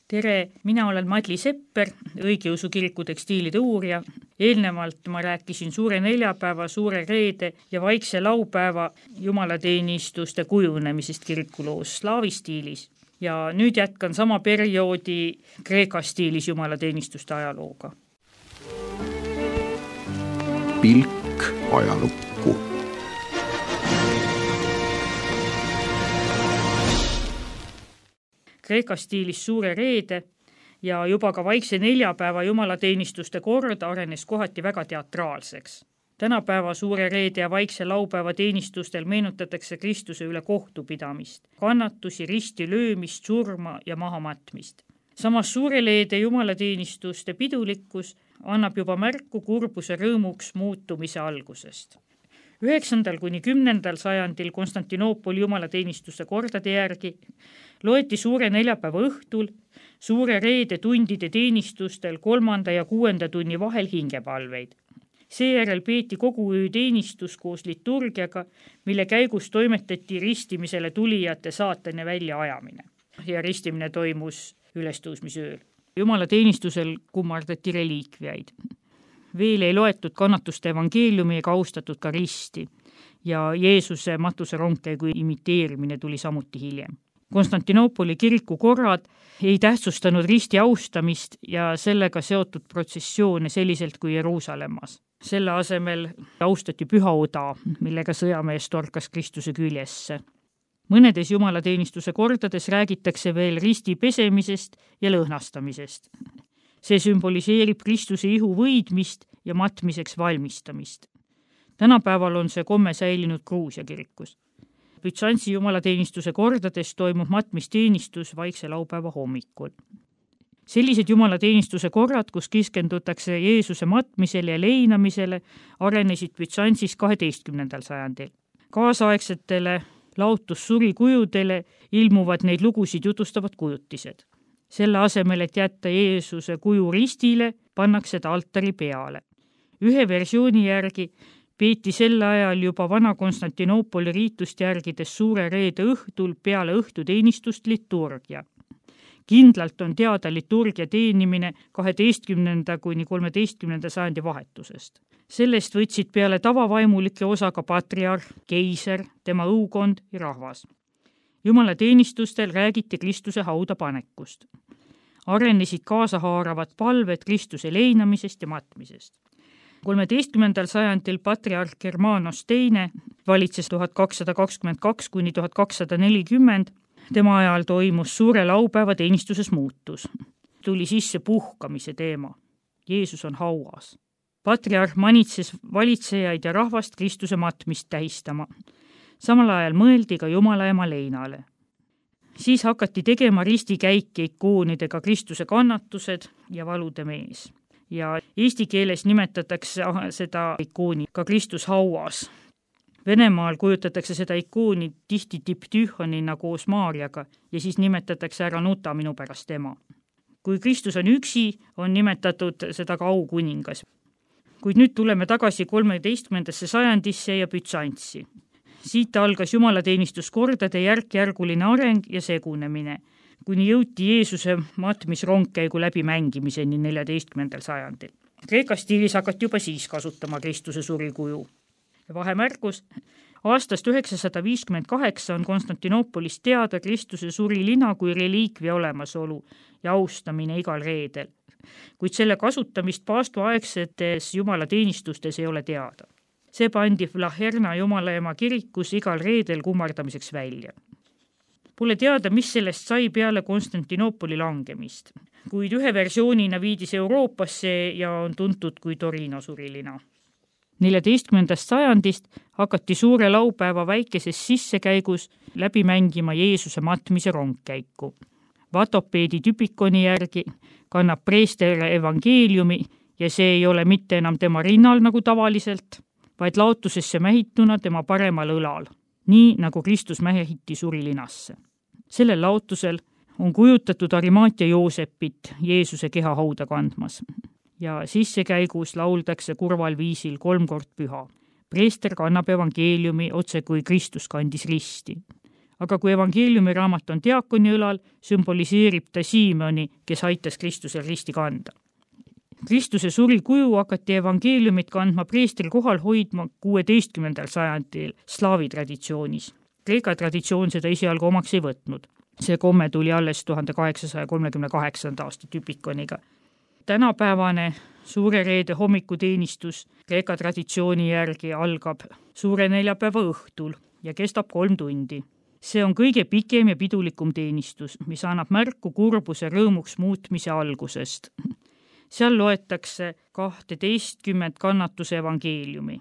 Tere, mina olen Madli Sepper, õigeusu kiriku tekstiilide uurija. Eelnevalt ma rääkisin suure neljapäeva, suure reede ja vaikse laupäeva jumalateenistuste kujunemisest kirikuloos slaavi stiilis. Ja nüüd jätkan sama perioodi Kreeka stiilis jumalateenistuste ajalooga. Pilk ajalukku. Kreeka stiilis suure reede ja juba ka vaikse neljapäeva jumalateenistuste kord arenes kohati väga teatraalseks. Tänapäeva suure reede ja vaikse laupäeva teenistustel meenutatakse Kristuse üle kohtupidamist, kannatusi, risti löömist, surma ja mahamatmist. Samas suure reede jumalateenistuste pidulikkus annab juba märku kurbuse rõõmuks muutumise algusest. 9. kuni 10. sajandil Konstantinoopoli jumalateenistuste kordade järgi loeti suure neljapäeva õhtul suure reede tundide teenistustel 3. ja 6. tunni vahel hingepalveid. Seejärel peeti kogu öö teenistus koos liturgiaga, mille käigus toimetati ristimisele tulijate saatane väljaajamine. Ja ristimine toimus ülestõusmisööl. Jumalateenistusel kummardati reliikviaid. Veel ei loetud kannatuste evangeeliumi ega austatud ka risti ja Jeesuse matuse rongkäigu imiteerimine tuli samuti hiljem. Konstantinoopoli kiriku korrad ei tähtsustanud risti austamist ja sellega seotud protsessioone selliselt kui Jeruusalemmas. Selle asemel austati püha oda, millega sõjamees torkas Kristuse küljesse. Mõnedes jumalateenistuse kordades räägitakse veel risti pesemisest ja lõhnastamisest. See sümboliseerib Kristuse ihu võidmist ja matmiseks valmistamist. Tänapäeval on see komme säilinud Gruusia kirikus. Bütsantsi jumalateenistuse kordades toimub matmisteenistus vaikse laupäeva hommikul. Sellised jumalateenistuse korrad, kus keskendutakse Jeesuse matmisele ja leinamisele, arenesid Bütsantsis 12. sajandil. Kaasaegsetele laotussurikujudele ilmuvad neid lugusid jutustavad kujutised. Selle asemel, et jätta Jeesuse kuju ristile, pannakse ta altari peale. Ühe versiooni järgi peeti sel ajal juba vana Konstantinoopoli riitust järgides suure reede õhtul peale õhtuteenistust liturgia. Kindlalt on teada liturgia teenimine 12. kuni 13. sajandi vahetusest. Sellest võtsid peale tavavaimulike osa ka patriarh, keiser, tema õukond ja rahvas. Jumalateenistustel räägiti Kristuse hauda panekust. Arenesid kaasahaaravad palved Kristuse leinamisest ja matmisest. 13. sajandil patriarh Germanos II valitses 1222 kuni 1240. Tema ajal toimus suure laupäeva teenistuses muutus. Tuli sisse puhkamise teema. Jeesus on hauas. Patriarh manitses valitsejaid ja rahvast Kristuse matmist tähistama. Samal ajal mõeldi ka Jumala ema leinale. Siis hakati tegema ristikäike ikoonidega Kristuse kannatused ja valude mees. Ja eesti keeles nimetatakse seda ikooni ka Kristus hauas. Venemaal kujutatakse seda ikooni tihti diptühonina koos Maarjaga ja siis nimetatakse ära nuta minu pärast ema. Kui Kristus on üksi, on nimetatud seda ka aukuningas. Kuid nüüd tuleme tagasi 13. sajandisse ja Bütsantsi. Siit algas jumalateenistuskordade järk-järguline areng ja segunemine, kuni jõuti Jeesuse matmisrongkäigu läbi mängimiseni 14. sajandil. Kreeka stiilis hakati juba siis kasutama Kristuse surikuju. Ja vahemärkus, aastast 958 on Konstantinoopolis teada Kristuse surilina kui reliikvia olemasolu ja austamine igal reedel. Kuid selle kasutamist paastuaegsetes jumalateenistustes ei ole teada. See pandi Vlaherna jumalaema kirikus igal reedel kummardamiseks välja. Pole teada, mis sellest sai peale Konstantinoopoli langemist, kuid ühe versioonina viidis Euroopasse ja on tuntud kui Torino surilina. 14. sajandist hakati suure laupäeva väikeses sissekäigus läbi mängima Jeesuse matmise rongkäiku. Vatopeedi tüpikoni järgi kannab preester evangeeliumi ja see ei ole mitte enam tema rinnal nagu tavaliselt, vaid laotusesse mähituna tema paremal õlal, nii nagu Kristus mähiti surilinasse. Sellel laotusel on kujutatud Arimaatia Joosepit Jeesuse keha hauda kandmas ja sissekäigus lauldakse kurval viisil 3 kord püha. Preester kannab evangeeliumi otse kui Kristus kandis risti. aga kui evangeeliumi raamat on diakoni õlal, sümboliseerib ta Siimoni, kes aitas Kristusel risti kanda. Kristuse suri kuju hakati evangeeliumit kandma preestri kohal hoidma 16. sajandil slaavi traditsioonis. Kreeka traditsioon seda esialgu omaks ei võtnud. See komme tuli alles 1838. aasta tüpikoniga. Tänapäevane suure reede hommikuteenistus Kreeka traditsiooni järgi algab suure neljapäeva õhtul ja kestab 3 tundi. See on kõige pikem ja pidulikum teenistus, mis annab märku kurbuse rõõmuks muutmise algusest. Seal loetakse 12 kannatuse evangeeliumi.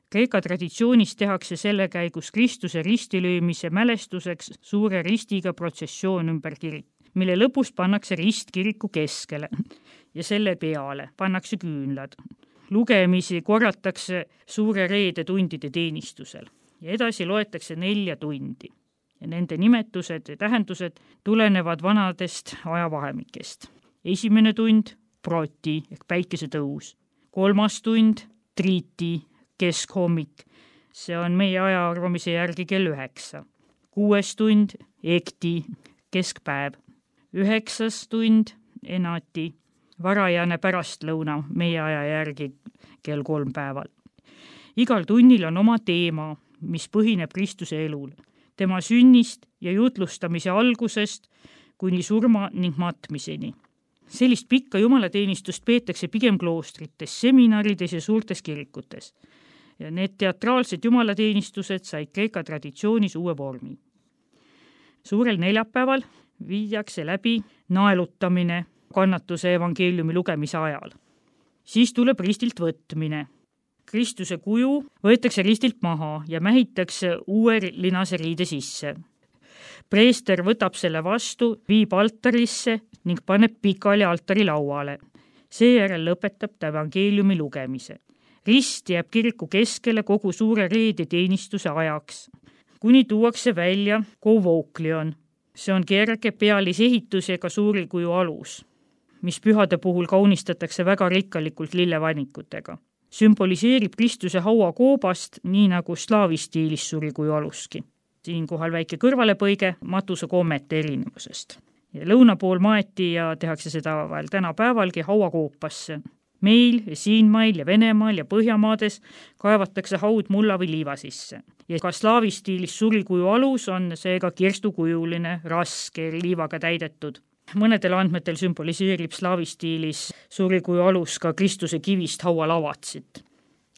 Kreeka traditsioonis tehakse selle käigus Kristuse ristilöömise mälestuseks suure ristiga protsessioon ümber kirik, mille lõpus pannakse rist kiriku keskele ja selle peale pannakse küünlad. Lugemisi korratakse suure reede tundide teenistusel ja edasi loetakse 4 tundi. Ja nende nimetused ja tähendused tulenevad vanadest ajavahemikest. 1. tund proti ehk päikesetõus, 3. tund triiti keskhommik, see on meie ajaarvamise järgi kell 9, 6. tund ekti keskpäev, 9. tund enati varajane pärastlõuna meie aja järgi kell 3 päeval. Igal tunnil on oma teema, mis põhineb Kristuse elul, tema sünnist ja jutlustamise algusest kuni surma ning matmiseni. Sellist pikka jumalateenistust peetakse pigem kloostrites, seminarides ja suurtes kirikutes. Ja need teatraalsed jumalateenistused said Kreeka traditsioonis uue vormi. Suurel neljapäeval viiakse läbi naelutamine kannatuse evangeeliumi lugemise ajal. Siis tuleb ristilt võtmine. Kristuse kuju võetakse ristilt maha ja mähitakse uue linase riide sisse. Preester võtab selle vastu, viib altarisse ning paneb pikali altari lauale. Seejärel lõpetab ta evangeeliumi lugemise. Rist jääb kiriku keskele kogu suure reede teenistuse ajaks, kuni tuuakse välja kovouklion. See on kerge pealisehitusega suuri kuju alus, mis pühade puhul kaunistatakse väga rikkalikult lillevanikutega. Sümboliseerib Kristuse hauakoobast, nii nagu slaavi stiilis suri kuju aluski. Siinkohal väike kõrvalepõige matuse kommete erinevusest. Ja lõuna pool maeti ja tehakse seda veel tänapäevalgi hauakoopasse. Meil, Siinmail ja Venemaal ja Põhjamaades kaevatakse haud mulla või liiva sisse. Ja ka slaavi stiilis surikuju alus on seega kirstukujuline, raske, liivaga täidetud. Mõnedel andmetel sümboliseerib slaavi stiilis surikuju alus ka Kristuse kivist haualavatsit,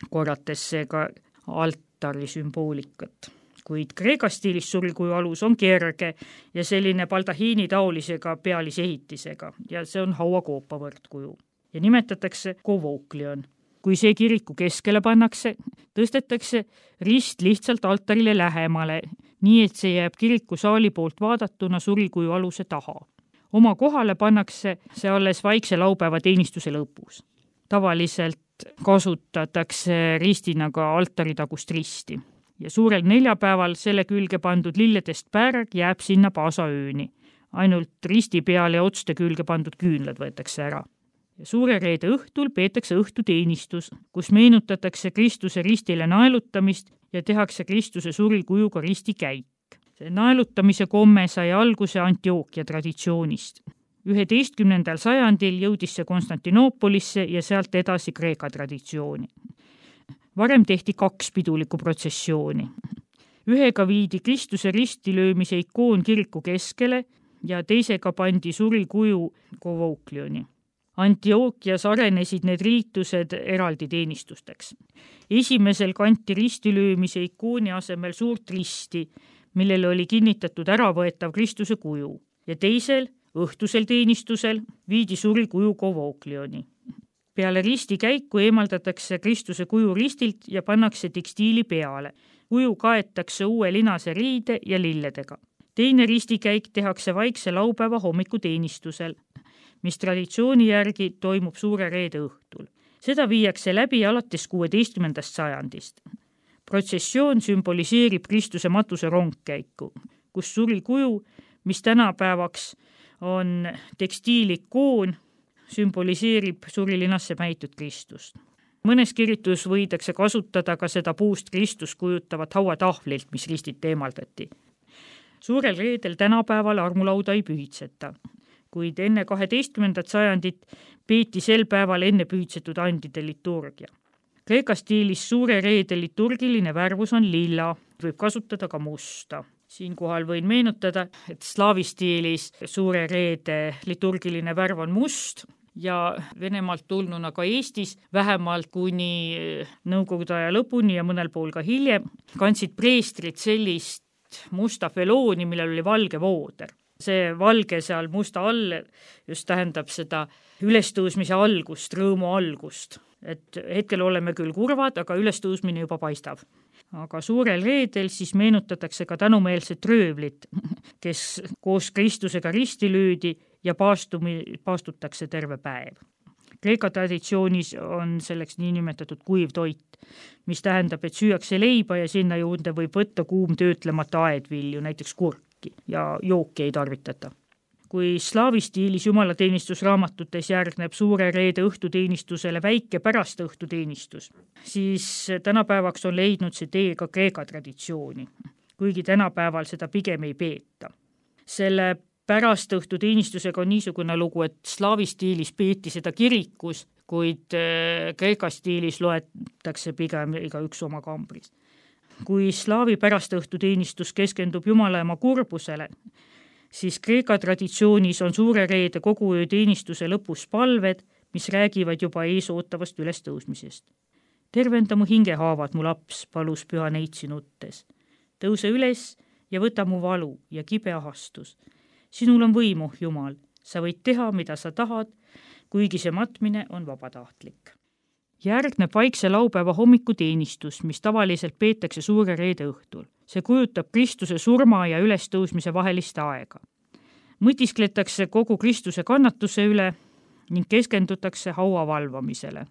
korrates seega altari sümboolikat. Kuid Kreeka stiilis surikuju alus on kerge ja selline baldahiini taolisega pealisehitisega ja see on hauakoopa võrdkuju. Ja nimetatakse kovouklion. Kui see kiriku keskele pannakse, tõstetakse rist lihtsalt altarile lähemale, nii et see jääb kiriku saali poolt vaadatuna surikuju aluse taha. Oma kohale pannakse see alles vaikse laupäeva teenistuse lõpus. Tavaliselt kasutatakse ristina ka altari tagust risti. Ja suurel neljapäeval selle külge pandud lilledest pärg jääb sinna paasaööni. Ainult risti peale ja otste külge pandud küünlad võetakse ära. Ja suure reede õhtul peetakse õhtuteenistus, kus meenutatakse Kristuse ristile naelutamist ja tehakse Kristuse surikujuga ristikäik. See naelutamise komme sai alguse Antiookia traditsioonist. 11. sajandil jõudis see Konstantinoopolisse ja sealt edasi Kreeka traditsiooni. Varem tehti 2 pidulikku protsessiooni. Ühega viidi Kristuse ristilöömise ikoon kiriku keskele ja teisega pandi surikuju kovouklioni. Antiookias arenesid need riitused eraldi teenistusteks. Esimesel kanti ristilöömise ikooni asemel suurt risti, millele oli kinnitatud äravõetav Kristuse kuju, ja teisel, õhtusel teenistusel, viidi surikuju kovouklioni. Peale risti käiku eemaldatakse Kristuse kuju ristilt ja pannakse tekstiili peale. Kuju kaetakse uue linase riide ja lilledega. Teine ristikäik tehakse vaikse laupäeva hommikuteenistusel, mis traditsiooni järgi toimub suure reede õhtul. Seda viiakse läbi alates 16. sajandist. Protsessioon sümboliseerib Kristuse matuse rongkäiku, kus surikuju, mis tänapäevaks on tekstiilikoon, sümboliseerib surilinasse mähitud Kristust. Mõnes kiritus võidakse kasutada ka seda puust Kristust kujutavat hauatahvlilt, mis ristit eemaldati. Suurel reedel tänapäeval armulauda ei pühitseta, kuid enne 12. sajandit peeti sel päeval enne pühitsetud andide liturgia. Kreeka stiilis suure reede liturgiline värvus on lilla, võib kasutada ka musta. Siinkohal võin meenutada, et slaavi stiilis suure reede liturgiline värv on must ja Venemaalt tulnuna ka Eestis vähemalt kuni nõukogude aja lõpuni ja mõnel pool ka hiljem kandsid preestrid sellist musta felooni, millel oli valge vooder. See valge seal musta all just tähendab seda ülestõusmise algust, rõõmu algust. Et hetkel oleme küll kurvad, aga ülestõusmine juba paistab. Aga suurel reedel siis meenutatakse ka tänumeelset röövlit, kes koos Kristusega risti lüüdi ja paastutakse terve päev. Kreeka traditsioonis on selleks niinimetatud kuiv toit, mis tähendab, et süüakse leiba ja sinna juurde võib võtta kuum töötlemata aedvilju, näiteks kurki ja jooki ei tarvitata. Kui slaavi stiilis jumalateenistusraamatutes järgneb suure reede õhtuteenistusele väike pärast õhtuteenistus, siis tänapäevaks on leidnud see tee ka Kreeka traditsiooni, kuigi tänapäeval seda pigem ei peeta. Selle pärast õhtuteenistusega on niisugune lugu, et slaavi stiilis peeti seda kirikus, kuid Kreeka stiilis loetakse pigem igaüks oma kambris. Kui slaavi pärast õhtuteenistus keskendub Jumalaema kurbusele, siis Kreeka traditsioonis on suure reede kogu öö teenistuse lõpus palved, mis räägivad juba eesootavast ülestõusmisest. Tervenda mu hingehaavad, mu laps, palus püha neitsi nuttes. Tõuse üles ja võta mu valu ja kibe ahastus. Sinul on võimu, Jumal, sa võid teha, mida sa tahad, kuigi see matmine on vabatahtlik. Järgneb vaikse laupäeva hommikuteenistus, mis tavaliselt peetakse suure reede õhtul. See kujutab Kristuse surma ja ülestõusmise vahelist aega. Mõtiskletakse kogu Kristuse kannatuse üle ning keskendutakse haua valvamisele.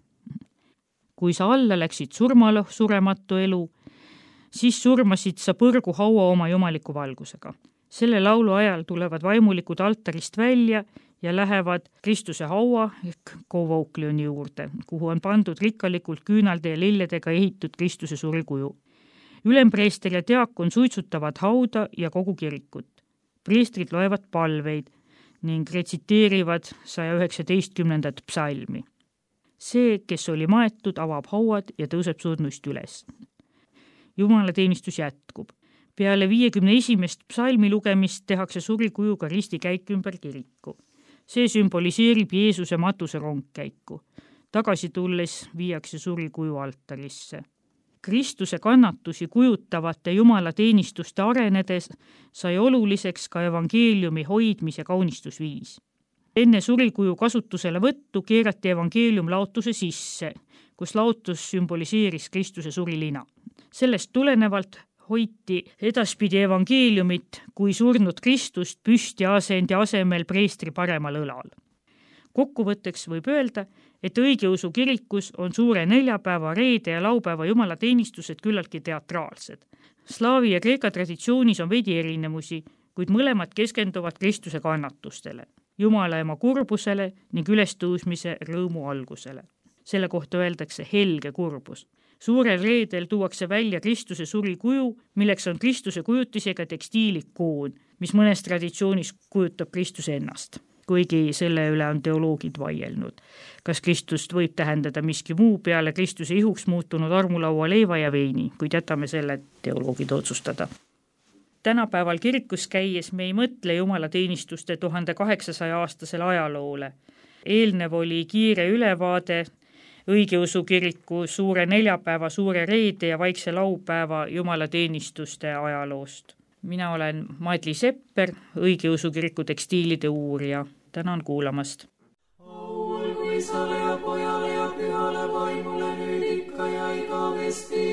Kui sa alla läksid surmale surematu elu, siis surmasid sa põrgu haua oma jumaliku valgusega. Selle laulu ajal tulevad vaimulikud altarist välja ja lähevad Kristuse haua ehk kovauklioni juurde, kuhu on pandud rikkalikult küünalde ja lilledega ehitud Kristuse surikuju. Ülempreester ja diakon suitsutavad hauda ja kogu kirikut. Preestrid loevad palveid ning retsiteerivad 119. psalmi. See, kes oli maetud, avab hauad ja tõuseb surnuist üles. Jumalateenistus jätkub. Peale 51. psalmi lugemist tehakse surikujuga ristikäik ümber kiriku. See sümboliseerib Jeesuse matuse rongkäiku. Tagasi tulles viiakse surikuju altarisse. Kristuse kannatusi kujutavate jumalateenistuste arenedes sai oluliseks ka evangeeliumi hoidmise kaunistusviis. Enne surikuju kasutusele võttu keerati evangeelium laotuse sisse, kus laotus sümboliseeris Kristuse surilina. Sellest tulenevalt hoiti edaspidi evangeeliumit kui surnud Kristust püsti asendi asemel preestri paremal õlal. Kokkuvõtteks võib öelda, et õigeusu kirikus on suure neljapäeva, reede ja laupäeva jumalateenistused küllaltki teatraalsed. Slaavi ja Kreeka traditsioonis on veidi erinevusi, kuid mõlemad keskenduvad Kristuse kannatustele, Jumalaema kurbusele ning ülestõusmise rõõmu algusele. Selle kohta öeldakse helge kurbus. Suurel reedel tuuakse välja Kristuse surikuju, milleks on Kristuse kujutisega tekstiilikoon, mis mõnes traditsioonis kujutab Kristuse ennast. Kuigi selle üle on teoloogid vaielnud. Kas Kristust võib tähendada miski muu peale Kristuse ihuks muutunud armulaua leiva ja veini, kuid jätame selle teoloogid otsustada. Tänapäeval kirikus käies me ei mõtle jumalateenistuste 1800-aastasele ajaloole. Eelnev oli kiire ülevaade õigeusu kiriku suure neljapäeva, suure reede ja vaikse laupäeva jumalateenistuste ajaloost. Mina olen Madli Sepper, õigeusu kiriku tekstiilide uurija. Tänan kuulamast. Olgu Isale ja Pojale ja Pühale Vaimule nüüd ikka ja igavesti.